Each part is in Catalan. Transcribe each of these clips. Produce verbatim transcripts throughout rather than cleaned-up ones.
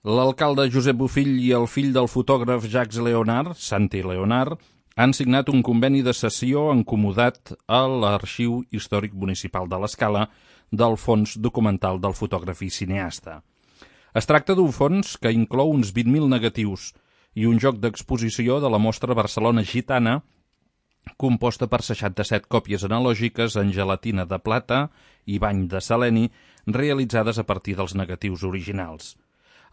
L'alcalde Josep Bofill i el fill del fotògraf Jacques Leonard, Santi Leonard, han signat un conveni de cessió encomodat a l'Arxiu Històric Municipal de l'Escala del Fons Documental del Fotògraf i Cineasta. Es tracta d'un fons que inclou uns vint mil negatius i un joc d'exposició de la mostra Barcelona Gitana, composta per seixanta-set còpies analògiques en gelatina de plata i bany de seleni, realitzades a partir dels negatius originals.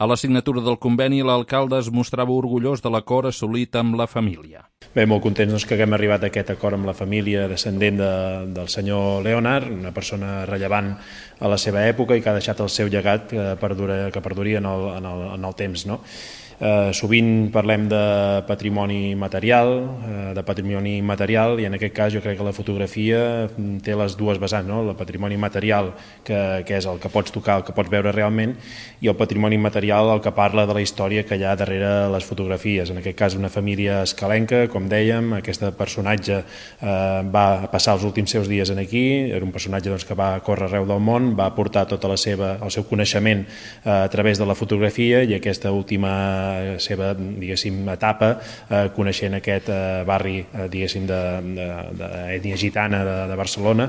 A la signatura del conveni, l'alcalde es mostrava orgullós de l'acord assolit amb la família. Bé, molt contents doncs, que haguem arribat a aquest acord amb la família descendent de, del senyor Leonard, una persona rellevant a la seva època i que ha deixat el seu llegat que, perdura, que perduria en el, en el, en el temps, no? Eh, sovint parlem de patrimoni material, eh, de patrimoni material i en aquest cas jo crec que la fotografia té les dues vessants, no? El patrimoni material que, que és el que pots tocar, el que pots veure realment, i el patrimoni material el que parla de la història que hi ha darrere les fotografies. En aquest cas una família escalenca, com dèiem, aquest personatge eh, va passar els últims seus dies aquí, era un personatge doncs, que va córrer arreu del món, va aportar tota la seva, el seu coneixement eh, a través de la fotografia i aquesta última seva, diguéssim, etapa eh, coneixent aquest eh, barri, eh, diguéssim, d'ètnia gitana de, de Barcelona,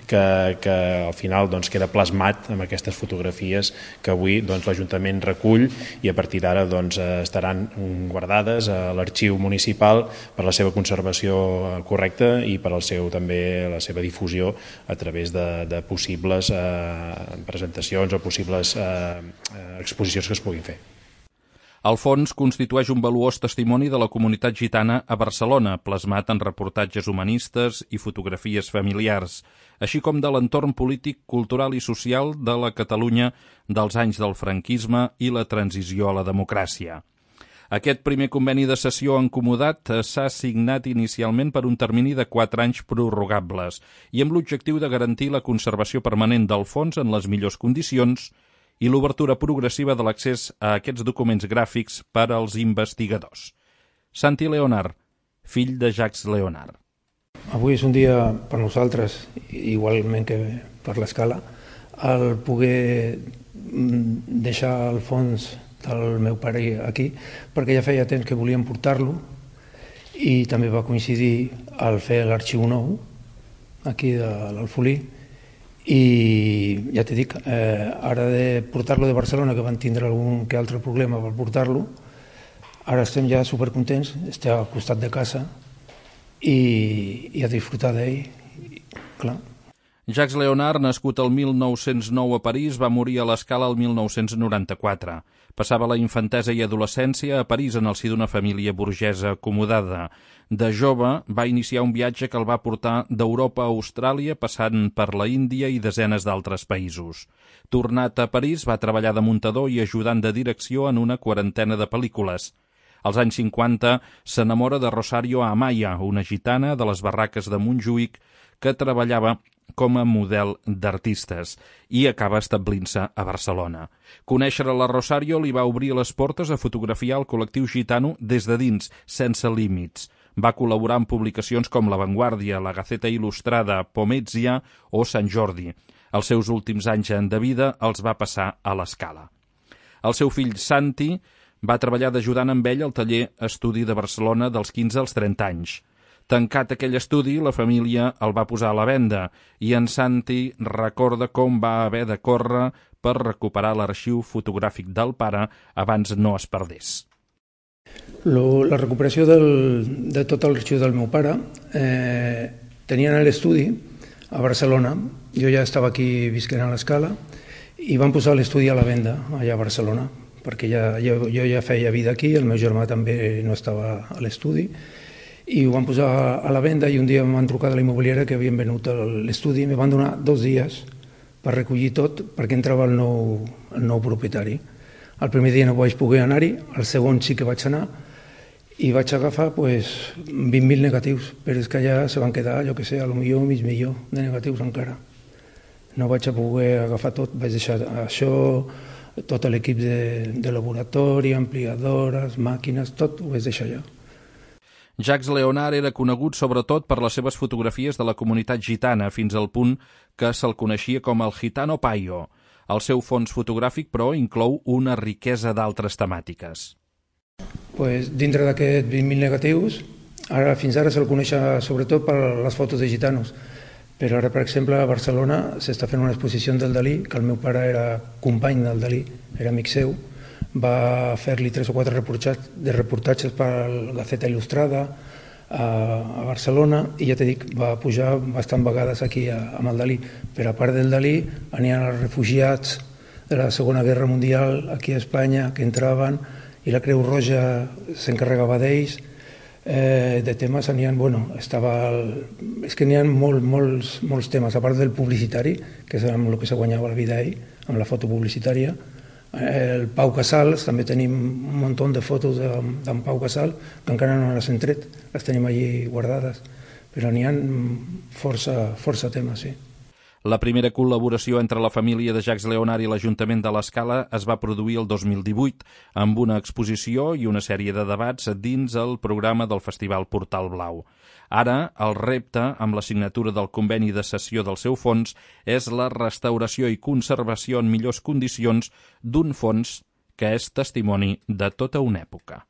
que, que al final doncs, queda plasmat amb aquestes fotografies que avui doncs, l'Ajuntament recull i a partir d'ara doncs, estaran guardades a l'arxiu municipal per la seva conservació correcta i per al seu, també la seva difusió a través de, de possibles eh, presentacions o possibles eh, exposicions que es puguin fer. El fons constitueix un valuós testimoni de la comunitat gitana a Barcelona, plasmat en reportatges humanistes i fotografies familiars, així com de l'entorn polític, cultural i social de la Catalunya dels anys del franquisme i la transició a la democràcia. Aquest primer conveni de cessió encomodat s'ha signat inicialment per un termini de quatre anys prorrogables i amb l'objectiu de garantir la conservació permanent del fons en les millors condicions i l'obertura progressiva de l'accés a aquests documents gràfics per als investigadors. Santi Leonard, fill de Jacques Leonard. Avui és un dia per nosaltres, igualment que per l'Escala, el poder deixar el fons del meu pare aquí, perquè ja feia temps que volíem portar-lo i també va coincidir al fer l'arxiu nou, aquí de l'Alfolí, i ja t'he dit, eh, ara de portar-lo de Barcelona, que van tindre algun que altre problema per portar-lo, ara estem ja supercontents, estem al costat de casa i, i a disfrutar d'ell, clar. Jacques Leonard, nascut el mil nou-cents nou a París, va morir a l'Escala el mil nou-cents noranta-quatre. Passava la infantesa i adolescència a París en el si d'una família burgesa acomodada. De jove va iniciar un viatge que el va portar d'Europa a Austràlia, passant per la Índia i desenes d'altres països. Tornat a París, va treballar de muntador i ajudant de direcció en una quarantena de pel·lícules. Als anys cinquanta s'enamora de Rosario Amaya, una gitana de les barraques de Montjuïc que treballava com a model d'artistes i acaba establint-se a Barcelona. Conèixer la Rosario li va obrir les portes a fotografiar el col·lectiu gitano des de dins, sense límits. Va col·laborar en publicacions com La Vanguardia, La Gaceta Il·lustrada, Pomezia o Sant Jordi. Els seus últims anys de vida els va passar a l'Escala. El seu fill Santi va treballar d'ajudant amb ell al taller Estudi de Barcelona dels quinze als trenta anys. Tancat aquell estudi, la família el va posar a la venda i en Santi recorda com va haver de córrer per recuperar l'arxiu fotogràfic del pare abans no es perdés. Lo, la recuperació del, de tot l'arxiu del meu pare eh, tenien l'estudi a Barcelona. Jo ja estava aquí visquent a l'Escala i van posar l'estudi a la venda allà a Barcelona perquè ja, jo, jo ja feia vida aquí, el meu germà també no estava a l'estudi i ho van posar a la venda i un dia em van trucar de la immobiliària que havien venut l'estudi i em van donar dos dies per recollir tot perquè entrava el nou, el nou propietari. El primer dia no vaig poder anar-hi, el segon sí que vaig anar i vaig agafar pues, vint mil negatius, però és que allà se van quedar, jo que sé, a lo millor mig milió de negatius encara. No vaig a poder agafar tot, vaig deixar això, tot l'equip de, de laboratori, ampliadores, màquines, tot ho vaig deixar allà. Jacques Leonard era conegut sobretot per les seves fotografies de la comunitat gitana, fins al punt que se'l coneixia com el Gitano Payo. El seu fons fotogràfic, però, inclou una riquesa d'altres temàtiques. Pues, dintre d'aquests vint mil negatius, ara, fins ara se'l coneix sobretot per les fotos de gitanos, però ara, per exemple, a Barcelona s'està fent una exposició del Dalí, que el meu pare era company del Dalí, era amic seu, va fer-li tres o quatre reportatges, de reportatges per la Gaceta Il·lustrada a, a Barcelona, i ja t'he dit, va pujar bastant vegades aquí a, amb el Dalí. Però a part del Dalí, anien els refugiats de la Segona Guerra Mundial aquí a Espanya, que entraven, i la Creu Roja s'encarregava d'ells. Eh, de temes n'hi ha, bueno, estava el, és que n'hi ha molt, molts, molts temes, a part del publicitari, que és amb el que se guanyava la vida ell, amb la foto publicitària. El Pau Casals, també tenim un munt de fotos d'en Pau Casals, que encara no les hem tret, les tenim allí guardades, però n'hi ha força, força temes, sí. La primera col·laboració entre la família de Jacques Leonard i l'Ajuntament de l'Escala es va produir el dos mil divuit, amb una exposició i una sèrie de debats dins el programa del Festival Portal Blau. Ara, el repte, amb la signatura del conveni de cessió del seu fons, és la restauració i conservació en millors condicions d'un fons que és testimoni de tota una època.